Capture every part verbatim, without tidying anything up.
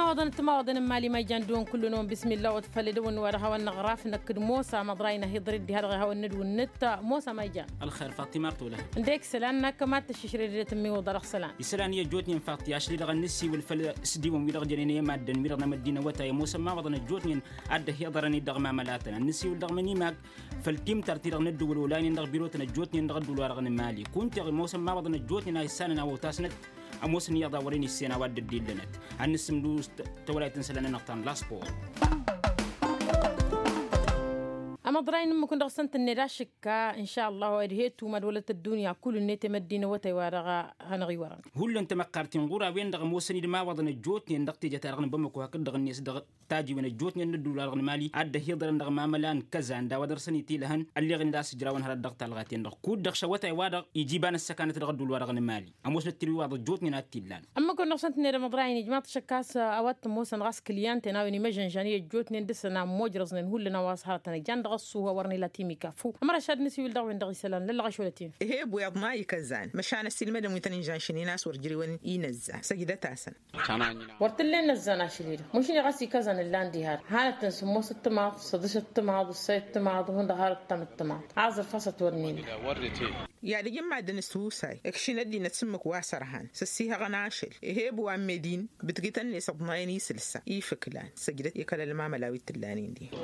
Awăḍăn ăttămawăḍăn n-imali ma ijan dăɣ-wăn kullu-năwăn bismillah wăt făll-edăwăn wa dăɣ-hawăn-năɣraf năkk d-mosa măḍrayna hiḍrăy dd-ha dăɣ-e hawăn-nădwǝnnǝt. Mosa ma ijan. Ălxer fatima artolăh. Ǝndek isălan n-akk mad-tăššǝšrăy d-edăt n-miwǝḍa dăɣ-isălan. Isălan i-ăjjootnen fatima ašli-dăɣ ad-nǝsiwǝl făll-s d-iwăn wi-dăɣ jănen i-maddǝn wi-dăɣ n-amăddinăwătay ămoosăn imawaḍăn ăjjootnen ad-dd-ăhiḍărăn-dd dăɣ-mamălatăn ad-nǝsiwǝl dăɣ-mănimag făll-timtart-ti-dăɣ n-ăddǝwǝl olaynen dăɣ-birotăn ăjjootnen dăɣ-ăddǝwǝl-wa-dăɣ n-imali kunta ămoosăn imawaḍăn ăjjootnen a issanăn a ăwtasnăt ămoosăn iyyăḍ a wărăn issen a-wa dd-ăddillănăt. Ad-nǝssǝmdǝw s-tăwălayt n-isălan-nănăɣ ta n-laspor. Amăḍray n-ǝmmǝk-wǝn dăɣ-săn tǝnned ašǝkka n-šalla wa ed he-tumad wălăt ăddunya kull-net i-măddinăwătay wa dăɣ-hanăɣ-iwărăn. Hullan tamăqqart-in ɣur-a-wen-dăɣ ămoosăn-dd imawaḍăn ăjjootnen dăɣ-teja-ta-dăɣ n-bamăko hakd-dăɣ-net dăɣ-tajiwen ăjjootnen n-ăddul-wa-dăɣ n-imali ad-dd-ăhiḍărăn dăɣ-mamăla n-kăzan d-a-wa dăr-săn itilăhăn ălleɣen-dd a-s ǝjrawăn hărăt dăɣ-talɣaten-dăɣ kud-dăɣ šăwătay-wa-dăɣ iji iba n-ăssăkanăt dăɣ-ăddul-wa-dăɣ n-imali. Ămoosnăt tilwiwaḍ ăjjootnen ad-t-illan. Ămmăk-wăn dăɣ-săn tǝnned amăḍrayăn ijmaḍ-t ašăkkas a-wa t-ămoosăn ɣas kǝlyăn-ten a-wen imăžănžan i-ăjjootnen dăɣ-săn a ămmojrăẓnen hullan a-wa s-hărătăn ǝjan dăɣ-ăṣṣuh a wărăn ila timikafu. Ămăraš ad-nǝsiwǝl dăɣ-wen dăɣ-isălan lăllăɣ ašolăt-in. Ih'-e ăbu iḍna ikăzan măšan ăsilmădăn wi tăn-inžănšăn-in a-s wăr jăr-e-wăn inăzza săjdăt-asăn. Wăr t-ǝllen inăzzan ašăl-i-dăɣ măšin i-ɣas ikăzan ǝllan diha-dăɣ hanăt-tǝnsǝmmos ǝttǝmaḍ săḍǝš ǝttǝmaḍ ǝssay ǝttǝmaḍ hundăɣ har ǝttăm ǝttǝmaḍ. Aẓrǝf a-s ătwărnen. I-ad-ǝjǝn maddǝn s-husay ǝkšǝn ăddinăt s-ǝmmǝk wa s-ărhan s-ăssihăɣăn ašăl. Ih'-e ăbu a n-medin bǝtgǝtăn-net ǝḍnayăn isǝlsa ifǝklan săjdăt i-kăl-ălmamăla wi t-ǝllanen diha.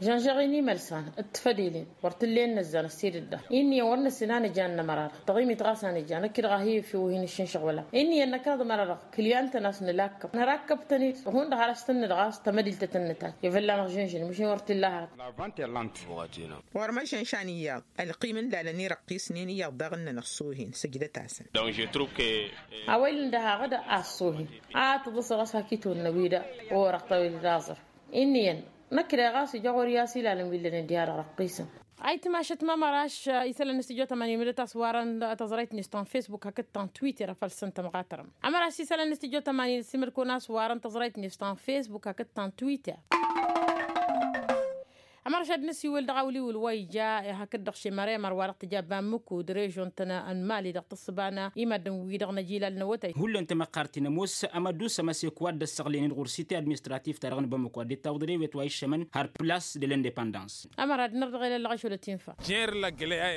Žănžăɣ-in imălsan d-tifădelen wăr t-ǝllen inăzzan ăssiidăt-dăɣ. Inn'-iyyăn wăr năssin a nǝjan n-ămăra-dăɣ tăɣimit ɣas a nǝja năkk-i-dăɣ a hi-ifi wa hin-ǝššǝnšăɣ wăla. Inn'-iyyăn năkk dăɣ-ămăra-dăɣ kǝlyan-tăn a-s nǝlakkăb nărakkăb-tăn-dd hundăɣ har a-s tăn-nǝdɣas tămădilt a tăn-nǝtaj i-vălla-năɣ žǝnžǝn măšin wăr t-illa hărăt. Wăr măšănšan iyyăḍ ălqim n-lalăn irăqqisnen iyyăḍ daɣ ǝnnăn ăṣṣohen săjdăt-asăn. A-wa ila ǝnda haɣ-dd a ăṣṣohen a tǝḍǝsăɣ a-s hak-itwǝnnă wi da orăɣ tawil d-aẓăr. Inn'-iyyăn năkk-i-dăɣ ɣas ija ɣur-i a-s ilalăn wi ǝllănen diha-dăɣ răqqisăn. Ayǝtmašăt mămăraš isălan n-studyo tămani mǝdăt a-s warăn tăẓrayt-net ta n-facebook hakd ta n-twitter a făl săn tămɣatărăm. Ămăraš isălan n-studyo tămani n-ăsimăd-kăwăn a-s warăn tăẓrayt-net ta n-facebook hakd ta n-twitter. Ămăraš ad-nǝsiwǝl dăɣ-awliwǝl wa ija hakd-dăɣ šemăr emăr wa dăɣ-tǝja bamǝkud režon-tăn n-mali dăɣ-tǝssǝba n-imaddǝn-wi-dăɣ n-ajilal n-awătay. Hullan tamăqqart-in ămoos amădus ămăsek wa dd-ăssăɣlăyăn-dd ɣur-site administratif-ta-dăɣ n-bamăko a dd-ittawăḍ rewet wa iššămăn har plas de l-independans. Ămăra d-năr dăɣ-elăllăɣ ašolăt infa.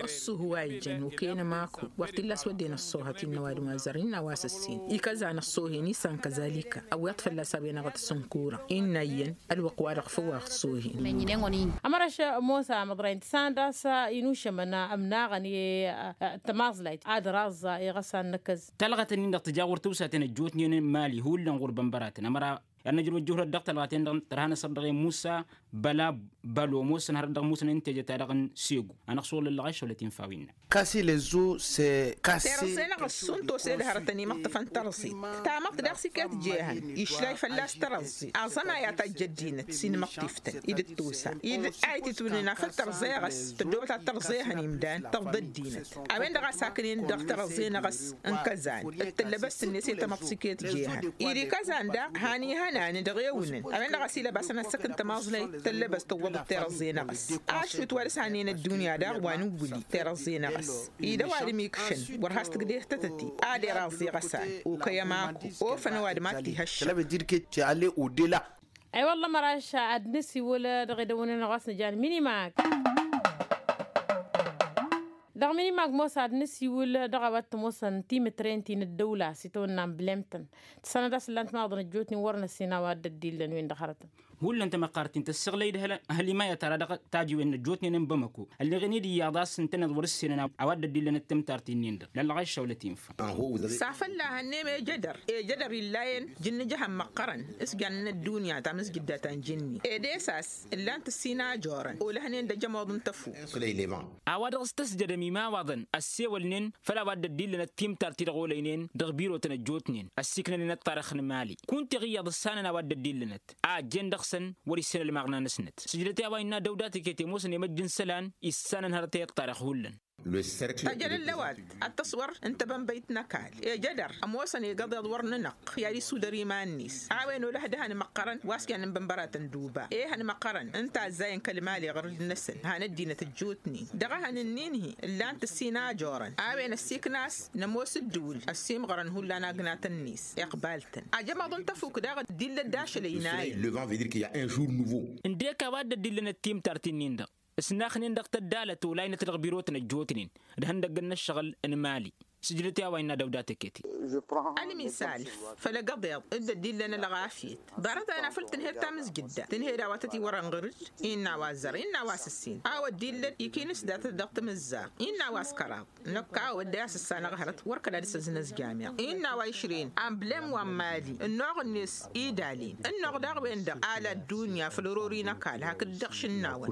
Ăṣṣuhu wa ijăn okăyăn ămaku wăr t-illa a-s wădden ăṣṣohăt innă ăwadǝm wa zărnen a-wa s-ǝssin ikăzan ăṣṣohen isan kăzalika ăwweḍ fălla-s a-wen-dăɣ ad-t-sǝnkura. Innă iyyăn ălwăqq-wa-dăɣ făw a ăṣṣohen. Ămăraš mosa măḍrăyăn tǝssanăt a-s inušămăn ămnaɣăn i-tămaẓlayt ad-ăraẓẓa iɣăsan n-akăz. Talɣăt-nin-dăɣ tǝja ɣur-tǝwsaten ăjjootnen n-mali hullan ɣur-bănbăratăn ămăra i-ad-năjrăw ăjjǝwhărăt dăɣ-talɣăten-dăɣ tărha n-asăr dăɣ-e musa băla bălo ămoosăn hărăt dăɣ-musăn n-teje-ta-dăɣ n-segu. Anăɣ-s wăr lăllăɣ ašăwlăt infa wi innă. Kasi lăzzu s-kasi. Terăẓẓe-năɣ ăssuntosed hărătăn imăṭṭăfăn tărẓit tamăḍt daɣ s-iket jehăn išlay fălla-s tărăẓẓe aẓămay a tajj ăddinăt s-inmăṭṭiftăn i-dd-tosa i-dd ayǝt itwǝlnen afăl tărẓe ɣas tăddobăt ad-tărẓehăn imdan tăḍḍa ăddinăt. A-wen-dăɣ a saknen dăɣ-tărăẓẓe-năɣ a-s n-kăzan d-tăllăbăst-net i-tamăḍt s-iket jehăn. Iri kăzan daɣ han ihănan dăɣ-ewǝnăn a-wen-dăɣ a-s ilăbasăn ad-săkn tămaẓlayt tăllăbăst tǝwwăḍăt terăẓẓe-năɣ a-s ašwǝt wa dăɣ-s hanen ăddunya daɣ wa nǝwwǝli terăẓẓe-năɣ a-s. Ida ăwadǝm ikšăn wăr has-tǝgdeh tătăte ad-iraẓẓe ɣăsan okăy ămaku ofăn ăwadǝm ad-t-ihăššăɣ. Cela veut dire que tu es allé au-delà. Ay-wălla măraš ad-nǝsiwǝl dăɣ-edăwănăn ɣas nǝjan minimag. Dăɣ-minimag mosa ad-nǝsiwǝl dăɣ-a-wa t-ămoosăn timǝtren ti n-ăddăwla s-itawănna n-blem-tăn. Tǝssanăt a-s ǝllan timawaḍăn ăjjootnen wăr năssin a-wa dd-ăddillăn wi n-dăɣ-hărătăn. Hullan tamăqqart-in tăssăɣlăy-dd hăl-ăhăl imayăt ara dăɣ-tajiwen n-ăjjootnen n-bamăko ălleɣen-dd iyyăḍ a-s ǝntăneḍ wăr-ǝssenăn a-wa dd-ăddillăn d-tǝmtart-nin-dăɣ lăllăɣ aššăwlăt infa. S-afălla hănnem ejădăr ejădăr illayen jǝnnǝjăhăn măqqărăn s-jan n-ăddunya tamǝzjǝdda ta n-jǝnni ed esas ǝllan-t ǝssin a ăjorăn olăhnen d-ajămoḍ n-tăfu. A-wa dăɣ-s tăsjădăm imawaḍăn ăssewălnen făll-a-wa dd-ăddillănăt timtart-ti-dăɣ olăynen dăɣ-birotăn ăjjootnen ăssiiknănen ăṭṭarăx n-imali. Kunta iɣ iyyăḍ ǝssanăn a-wa dd-ăddillănăt a ăjjeen dăɣ-săn wăr-issen ălmaɣna-năsnăt sǝjdăt i-a-wa innă dăwda tǝket i-ămoosăn i-măjj n-isălan issanăn hărăt i-ăṭṭarăx hullan. Tajălăl lăwad ad-tăswăr n-tebănbăyt n-ăkall ejădăr ămoosăn igăḍeḍ wăr nǝnăɣ. I-ad-isudăr iman-net a-wen olăh dăhăn măqqărăn wa s-kiyan n-bănbăratăn d-uba ehăn măqqărăn n-tazzayăn kăl-mali ɣǝrǝd-năsăn han ăddinăt ăjjootnen dăɣ-ehăn ǝnnin-hi ǝllan-t ǝssin a ăjorăn a-wen ăssiikna a-s nămoos ǝddǝwǝl ăssiimɣărăn hullan agnatăn-net iqbal-tăn ajămaḍ n-tăfuk daɣ dd-illăd d-ašăl ăynayăn. Ǝndek a-wa dd-ăddillănăt timtart-in-in-dăɣ ǝsnaxnen dăɣ-tăddalăt olaynăt dăɣ-birotăn ăjjootnen d-ihăndăggăn n-ǝššăɣǝl n-imali. Sǝjdăt i-a-wa innă dăwda teketi. Ălmisal făll-egăḍeḍ dd-ăddillăn ălɣafyăt ḍarăt-a-wen afăl tǝnhed tamǝzjǝdda tǝnhed a-wa tătiwărăn ɣǝr-dd. Innă a-wa ăzzăr innă a-wa s-ǝssin a-wa ăddillăn ikinǝs datăt dăɣ-tamǝzzaɣt innă a-wa s-kăraḍ. Năkk a-wa dd-e-asǝssanăɣ hărăt wăr kăla dăr-s ăznăzjam iɣ innă a-wa išrăyăn amblem wa n-mali ănnuɣ-net idalen ănnuɣ daɣ-wen-dăɣ ala ăddunya făll-orori n-ăkall hakd-dăɣ šǝnnawăn.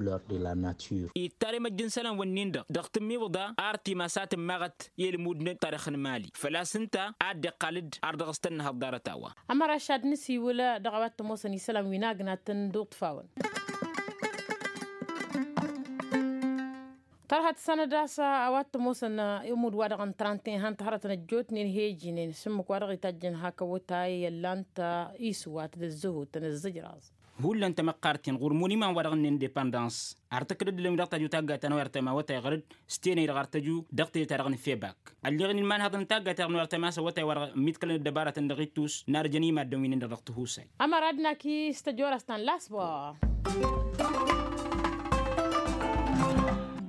Ittarem ăjj n-isălan-wǝnnin-dăɣ dăɣ-tǝmmiwǝḍa ar timas a tǝmmaɣăt i-ălmud n-tarix n-mali făl-a-s ǝnta a dd-iqqal-dd ar dăɣ-s tănnăhăḍ ḍarăt-a-wa. Ămăra ašad n-asiwǝl dăɣ-a-wa t-ămoosăn isălan wi n-agnatăn d-uṭṭfawăn. Tărha tǝssanăd a-s a-wa t-ămoosăn ămudd-wa-dăɣ n-trantin han-t hărătăn ăjjootnen he-ijinen s-ǝmmǝk wa dăɣ-itajjăn hak awătay i-ăllan-t isǝwat d-ǝzzǝhutăn ǝzzǝjraẓ. Hullan tamăqqart-in ɣur-imon iman-wa-dăɣ n-indepandans ar tǝkkǝd ăddinăn wi dăɣ-tajju taggayt ta n-awăr tăma awătay ɣăr-dd s-tenăy-dăɣ ar tăju dăɣ-tejăt-ta-dăɣ n-febak. Ălleɣ-in ilman haḍăn taggayt ta dăɣ-n awăr tăma a-s awătay wa dăɣ-miḍkălăn ăddăbarătăn dăɣ-ittus n-arjăn imaddǝn wi-nin-dăɣ dăɣ-tihusay. Ămăra ad-naki s-tăjorăst ta n-lasbor.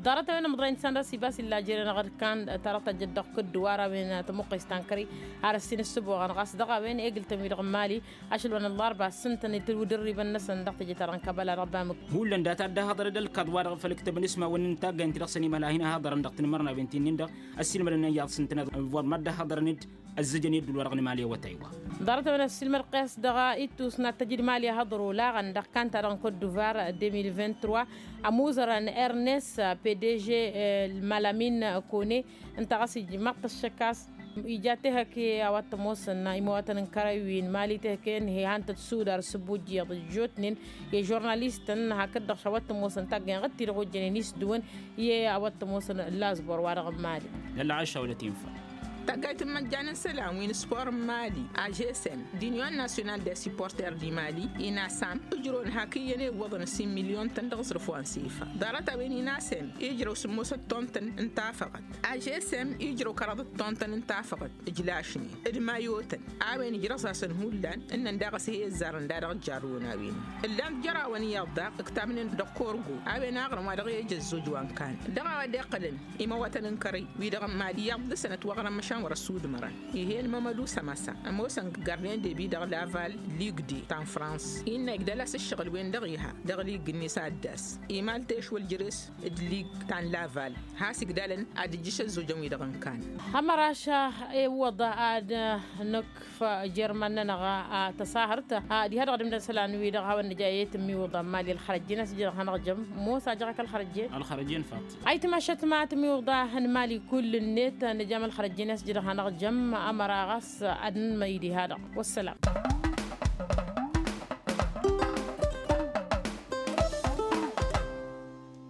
Ḍarăt-a-wen ămḍăy n-săn d-asibas illa jere-năɣ d-kan tarăt tajjăt dăɣ-kǝddu ar a-wen tămuqqes ta n-kări ar ăssin ǝssǝboɣăn ɣas dăɣ-a-wen egǝl-tăn wi-dăɣ n-mali. Ašăl wa n-ăllarba s-ǝntăn itǝlwǝd ărribăn-năsăn dăɣ-teje-ta-dăɣ n-kabăla dăɣ-bamǝk. Hullan data ad-dd-ahăḍăr d-ălkaḍ-wa-dăɣ făll-ǝktăbăn ismawăn n-taggay n-ti-dăɣ săn imăla a hin-ăhăḍărăn dăɣ-tinǝmărnawen ti-nin-dăɣ ăssiilmădăn iyyăḍ s-ǝntăneḍ. Wăr mad-dd-ahăḍărăn-dd ăzzăjăn i-ăddul wa dăɣ-nǝmal i-awătay-wa. Ḍarăt-a-wen ăssiilmăd qes dăɣ-ittus n-ad-tăjǝd mali ahăḍru laɣăn dăɣ-kanta dăɣ-n kot duvar deux mille vingt-trois. Ămuzărăn ernes pdg malamin kone ǝnta ɣas ijmaḍ-t ăššăk a-s ija tehăke a-wa t-ămoosăn imawatăn n-kărăy wi n-mali tehăke n-he han-tăt sudar s-ǝbujjǝyăḍ ăjjootnen i-žurnalistăn hakd-dăɣ š-a-wa t-ămoosăn taggăyăn ɣǝd-ti-dăɣ ojjănen isdǝwăn i-a-wa t-ămoosăn lasbor wa-dăɣ n-mali. Ălɣaša wăla tinfa. Taggayt n-imăjjan n-isălan wi n-spor n-mali ažesem d-union national de supporter di mali inasam ǝjrăwăn hak iyyăn i-iwwăḍăn s-imilyon-tăn dăɣ-aẓrǝf wa n-sifa. Ḍarăt-a-wen inasem ijrăw sǝmmosăt tontăn n-tafăɣăt ažesem ijrăw kăraḍăt tontăn n-tafăɣăt ǝjlašnen d-mayotăn. A-wen ǝjrăẓ-asăn hullan ǝnnăn daɣ ăshe ăzzarăn da dăɣ-ǝjjarrǝwăn a-wen ǝllan-t jer-awăn iyyăḍ daɣ ǝktabnen dăɣ-korgo. A-wen aɣrǝm wa dăɣ-e-ija ăzzoj wa n-kan dăɣ-a-wa dd-iqqălăn imawătăn n-kărăy wi-dăɣ n-mali iyyăḍ d-sănăt wa ɣrăn măšan wăr-ăsudmărăn. Ih'-en mămădu sămăsa ămoosăn gardien de bi dăɣ-laval ligue de ta n-frans innă igdăl-as ǝššăɣǝl-wen-dăɣ iha dăɣ-ligue-net a dd-ass imal tešwăl jere-s d-ligue ta n-laval. Has-igdalăn ad-ǝjjǝš ăzzojăn-wi-dăɣ n-kan. Hămăraša iwwăḍ ad-nǝkf jer-iman-nănăɣ a tăsahărt. Diha-dăɣ d-imdăn isălan-wi-dăɣ a hawăn-nǝja i-tǝmmiwǝḍa n-mali ălxărăjjen a-s ija dăɣ-hanăɣ-jăm mosa ăjăɣ-ak ălxărăjjen. Ălxărăjjen faḍt. Ayǝtmašăt ma tǝmmiwǝḍa n-mali kull-net nǝjam ălxărăjjen a-s ija dăɣ-hanăɣ-jăm. Ămăra ɣas ad-nǝnmăy diha-dăɣ. Wăssălam.